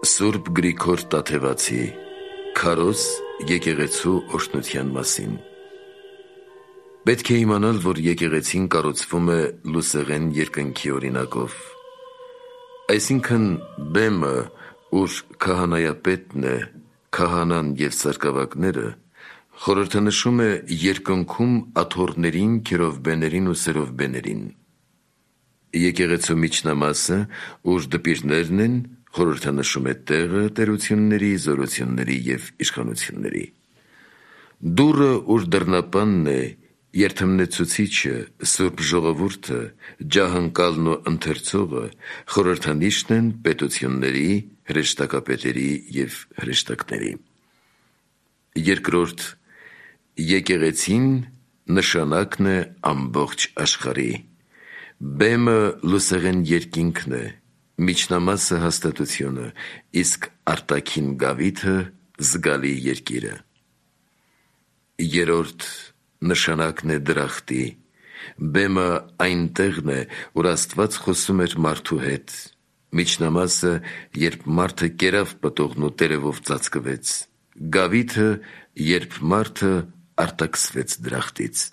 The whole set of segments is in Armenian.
Սուրբ Գրիգոր Տաթևացի Քարոզ եկեղեցու օրհնության մասին։ Պետք է իմանալ, որ եկեղեցին կառուցվում է լուսեղեն երկնքի օրինակով։ Այսինքն բեմը, ուր քահանայապետն է, քահանան և սարկավակները, խորհրդանշում է երկնքում աթոռներին, քերովբեներին ու սերովբեներին։ Եկեղեցու միջնամասը, ուր դպիրներն են, խորհրդանշում է տեղը, տերությունների, զորությունների և իշխանությունների։ Դուռը, ուր դռնապանն է, երդմնեցուցիչը, Սուրբ Ժողովուրդը, ջահընկալն ու ընթերցողը խորհրդանիշն են պետությունների, հրեշտակապետերի և հրեշտակների։ Երկրորդ, եկեղեցին նշանակն է ամբողջ աշխարհի։ Բեմը լուսեղեն երկինքն է, միջնամասը հաստատությունը, իսկ արտաքին գավիթը զգալի երկիրը։ Երրորդ, նշանակն է դրախտի։ Բեմը այն տեղն է, որ Աստված խոսում էր մարդու հետ, միջնամասը, երբ մարդը կերավ պտուղն ու տերևով ծածկվեց, գավիթը, երբ մարդը արտաքսվեց դրախտից։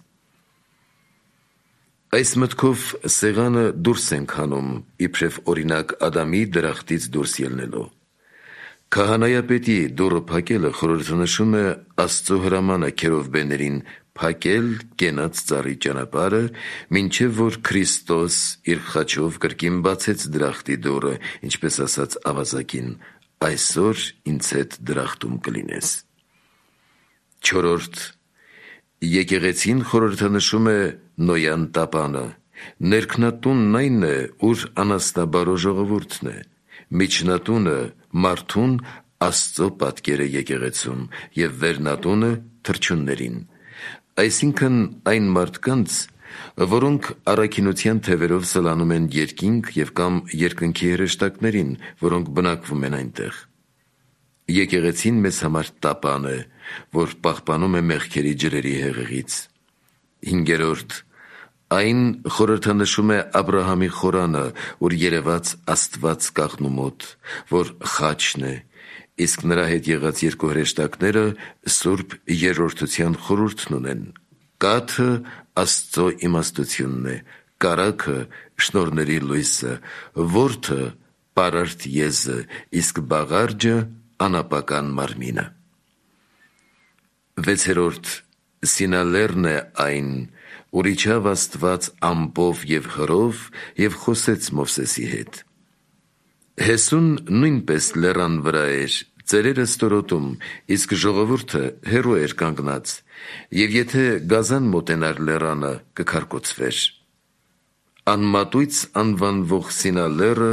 Այս մտքով սեղանը դուրս ենք հանում, իբրև օրինակ Ադամի դրախտից դուրս ելնելու։ Քահանայապետի դուռը փակելը խորհրդանշում է Աստծո հրամանը քերովբեներին փակել կենաց ծառի ճանապարհը, մինչև որ Քրիստոս իր խաչով կրկին բացեց դրախտի դուռը, ինչպես ասաց ավազակին. «Այսօր ինձ հետ դրախտում կլինես»։ Չորրորդ, եկեղեցին խորհրդանշում է Նոյան տապանը։ Ներքնատունն այն է, ուր անասնաբարո ժողովուրդն է, միջնատունը մարդուն Աստծո պատկերը եկեղեցում և վերնատունը թռչուններին, այսինքն այն մարդկանց, որոնք առաքինության թևերով սլանում են երկինք և կամ երկնքի հրեշտակներին, որոնք բնակվում են այնտեղ։ Եկեղեցին մեզ համար տապան է, որ պահպանում է մեղքերի ջրերի հեղեղից։ Հինգերորդ, այն խորհրդանշում է Աբրահամի խորանը, ուր երևաց Աստված կաղնու մոտ, որ խաչն է, իսկ նրա հետ եղած երկու հրեշտակները սուրբ երրորդության խորհուրդն ունեն։ Կաթը Աստծո իմաստությունն է, կարագը շնորհների լույսը, որդը պարարտ եզը, իսկ բաղարջը անապական մարմինը։ Վեցերորդ, Սինալերն է այն, ուր իջավ Աստված ամպով և հրով և խոսեց Մովսեսի հետ։ Հեսուն նույնպես լեռան վրա էր, ծերերը ստորոտում, իսկ ժողովուրդը հեռու էր կանգնած, և եթե գազան մոտենար լեռանը, կքարկոծվեր։ Անմատույց անվանվող Սինա լեռը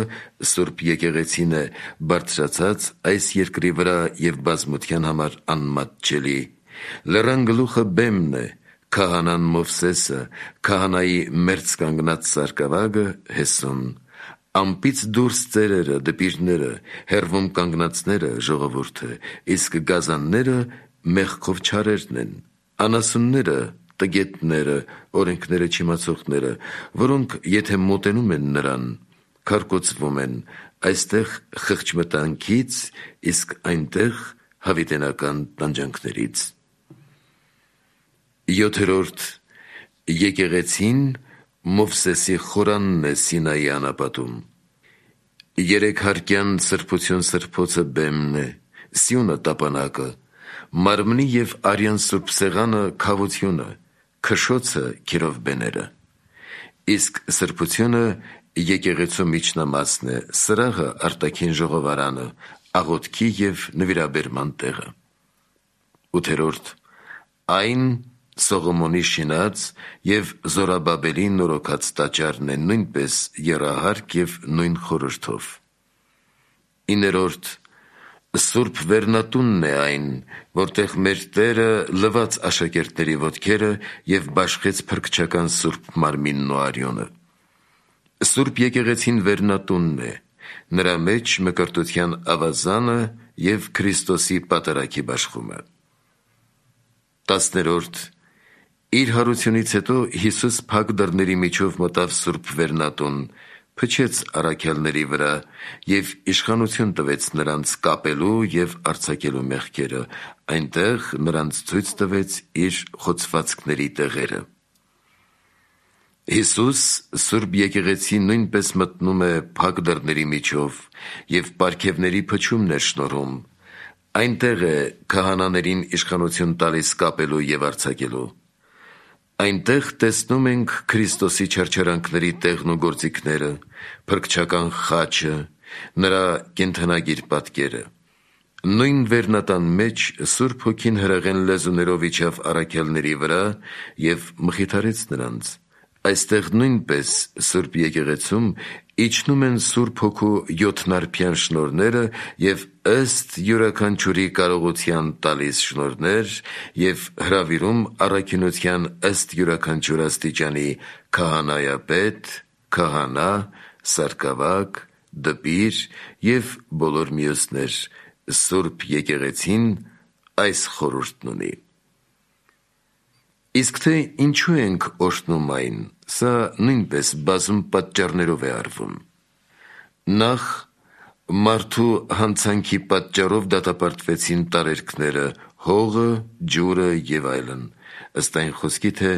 Սուրբ եկեղեցին է, բարձրացած այս երկրի վրա և բազմության համար անմատչելի։ Լեռան գլուխը բեմն է, քահանան Մովսեսը, քահանայի մերձ կանգնած սարկավագը Հեսուն, ամպից դուրս ծերերը, դպիրները, հեռվում կանգնածները ժողովուրդը, իսկ գազանները մեղքով չարերն են, անասունները տգետները, օրենքները չիմացողները, որոնք եթե մոտենում են նրան, քարկոծվում են, այստեղ խղճմտանքից, իսկ այնտեղ հավիտենական տանջանքներից։ Յոթերորդ, եկեղեցին Մովսեսի խորանն է Սինայի անապատում։ Երեքհարկյան սրբություն սրբոցը բեմն է, սյունը տապանակը, մարմնի և արյան սուրբ սեղանը քավությունը, քշոցը քերովբեները, իսկ սրբությունը եկեղեցու միջնամասն է, սրահը արտաքին ժողովարանը, աղոթքի և նվիրաբերման տեղը։ Ութերորդ, այն Սողոմոնի շինած և Զորաբաբելի նորոգած տաճարն է, նույնպես եռահարկ և նույն խորհրդով։ Իներորդ, Սուրբ վերնատունն է այն, որտեղ մեր Տերը լվաց աշակերտների ոտքերը և բաշխեց փրկչական Սուրբ մարմինն ու արյունը։ Սուրբ եկեղեցին վերնատունն է, նրա մեջ մկրտության ավազանը և Քրիստոսի պատարագի բաշխումը։ Տասներորդ, իր հարությունից հետո Հիսուս փակ դռների միջով մտավ Սուրբ վերնատուն, փչեց առաքյալների վրա և իշխանություն տվեց նրանց կապելու և արձակելու մեղքերը, այնտեղ նրանց ցույց տվեց իր խոցվածքների տեղերը։ Հիսուս Սուրբ Եկեղեցի նույնպես մտնում է փակ դռների միջով և պարգևների փչումն է շնորհում։ Այնտեղ է քահանաներին իշխանություն տալիս կապելու և արձակելու։ Այնտեղ տեսնում ենք Քրիստոսի չարչարանքների տեղն ու գործիքները, փրկչական խաչը, նրա կենդանագիր պատկերը։ Նույն վերնատան մեջ Սուրբ Հոգին հրեղեն լեզուներով իջավ առաքյալների վրա և մխիթարեց նրանց։ Այստեղ նույնպես Սուրբ Եկեղեցում իջնում են Սուրբ Հոգու յոթնարբյան շնորհները և ըստ յուրաքանչյուրի կարողության տալիս շնորհներ և հրավիրում առաքինության ըստ յուրաքանչյուր աստիճանի քահանայապետ, քահանա, սարկավակ, դպիր և բոլոր մյուսներ։ Սուրբ Եկեղեցին այս խորհուրդն ունի։ Իսկ թե ինչու ենք օրհնում այն, սա նույնպես բազում պատճառներով է արվում։ Նախ, մարդու հանցանքի պատճառով դատապարտվեցին տարերքները, հողը, ջուրը և այլն, ըստ այն խոսքի, թե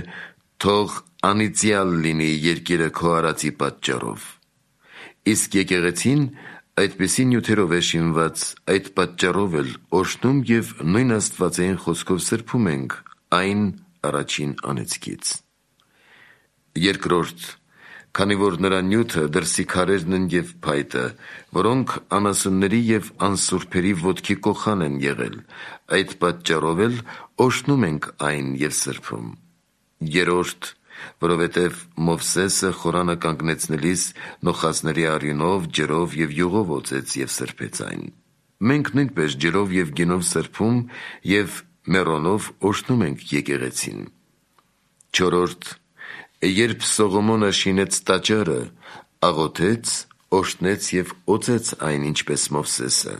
թող անիծյալ լինի երկիրը քո արածի պատճառով։ Իսկ եկեղեցին այդպիսի նյութերով է շինված, այդ պատճառով էլ օրհնում և նույն աստվածային խոսքով սրբում ենք այն առաջին անեծքից։ Երկրորդ, քանի որ նրա նյութը դրսի քարերն են և փայտը, որոնք անասունների և անսուրբերի ոտքի կոխան են եղել, այդ պատճառով էլ օրհնում ենք այն և սրբում։ Երրորդ, որովհետև Մովսեսը խորանը կանգնեցնելիս նոխազների արյունով, ջրով և յուղով օծեց և սրբեց այն։ Մենք նույնպես ջրով և գինով սրբում և մեռոնով օրհնում ենք եկեղեցին։ Չորրորդ, երբ Սողոմոնը շինեց տաճարը, աղոթեց, օրհնեց և օծեց այն, ինչպես Մովսեսը,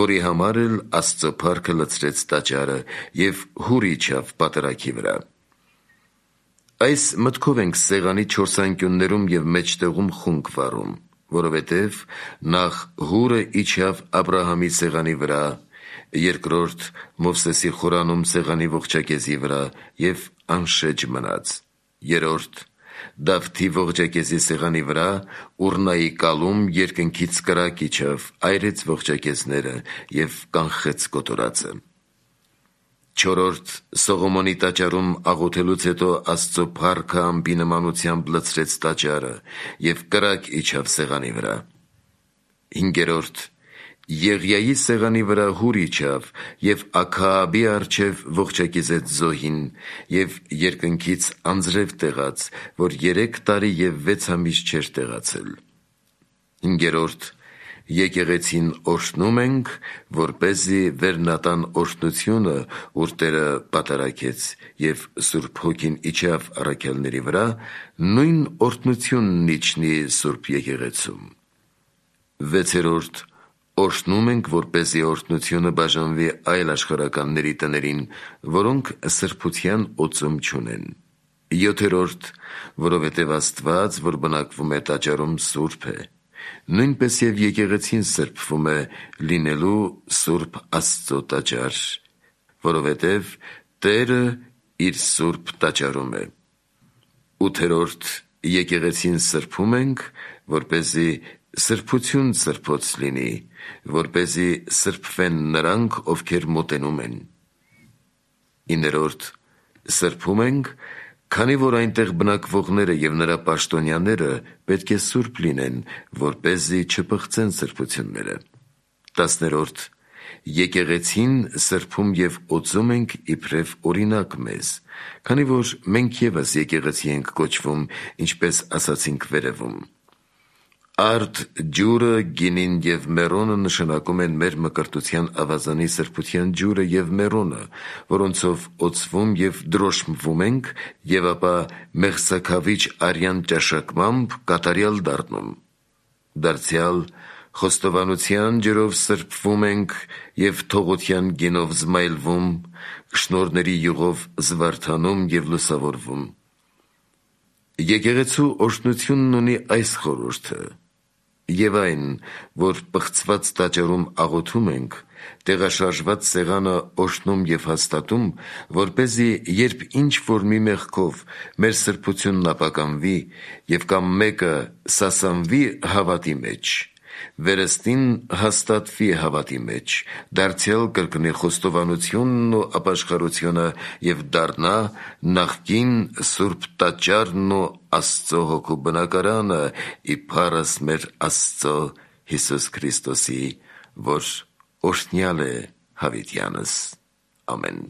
որի համար էլ Աստծո փառքը լցրեց տաճարը և հուր իջավ պատրագի վրա։ Այս մտքով ենք սեղանի չորս անկյուններում և մեջտեղում խունկ վառում, որովհետև նախ հուրը իջավ Աբրահամի սեղանի վրա, երկրորդ Մովսեսի խորանում սեղանի ողջակեզի վրա և անշեջ մնաց, երրորդ Դավթի ողջակեզի սեղանի վրա Ուռնայի կալում երկնքից կրակ իջավ, այրեց ողջակեզները և կանխեց կոտորածը։ Չորրորդ Սողոմոնի տաճարում աղոթելուց հետո Աստծո փառքը ամպի նմանությամբ լցրեց տաճարը և կրակ իջավ սեղանի վրա։ Հինգերորդ Եղիայի սեղանի վրա հուր իջավ և Աքաաբի առջև ողջակիզեց զոհին և երկնքից անձրև տեղաց, որ 3 տարի և 6 ամիս չէր տեղացել։ Հինգերորդ Եկեղեցին օրհնում ենք, որպեսզի վերնատան օրհնությունը, ուր Տերը պատարագեց և Սուրբ Հոգին իջավ առաքյալների վրա, նույն օրհնությունն իջնի Սուրբ Եկեղեցում։ Վեցերորդ օրհնում ենք, որպեսզի օրհնությունը բաժանվի այլ աշխարհականների տներին, որոնք սրբության օծում չունեն։ Յոթերորդ որովհետև Աստված, որ բնակվում է տաճարում, սուրբ է, նույնպես և եկեղեցին սրբվում է լինելու Սուրբ Աստծո տաճար, որովհետև Տերը իր սուրբ տաճարում է։ Ութերորդ եկեղեցին սրբում ենք, որպեսզի սրբություն սրբոց լինի, որպեսզի սրբվեն նրանք, ովքեր մոտենում են։ Իներորդ սրբում ենք, քանի որ այնտեղ բնակվողները և նրա պաշտոնյաները պետք է սուրբ լինեն, որպեսզի չպղծեն սրբությունները։ Տասներորդ եկեղեցին սրբում և օծում ենք իբրև օրինակ մեզ, քանի որ մենք ևս եկեղեցի ենք կոչվում, ինչպես ասացինք վերևում։ Արդ ջուրը, գինին և մեռոնը նշանակում են մեր մկրտության ավազանի սրբության ջուրը և մեռոնը, որոնցով օծվում և դրոշմվում ենք և ապա մեղսաքավիճ արյան ճաշակմամբ կատարյալ դառնում։ Դարձյալ խոստովանության ջրով սրբվում ենք և թողության գինով զմայլվում, շնորհների յուղով զվարթանում և լուսավորվում։ Եկեղեցու օրհնությունն ունի այս խորհուրդը. եւ այն, որ պղծված տաճարում աղոթում ենք, տեղաշարժված սեղանը օրհնում եւ հաստատում, որպեսզի երբ ինչ որ մի մեղքով մեր սրբությունն ապականվի եւ կամ մեկը սասանվի հավատի մեջ, վերստին հաստատվի հավատի մեջ, դարձյալ կրկնի խոստովանությունն ու ապաշխարությունը եւ դառնա նախկին սուրբ տաճարն ու Աստծո հոգու բնակարանը իբարս մեր Աստծո Հիսուս Քրիստոսի, որ օրհնյալ է հավիտյանս։ Ամեն։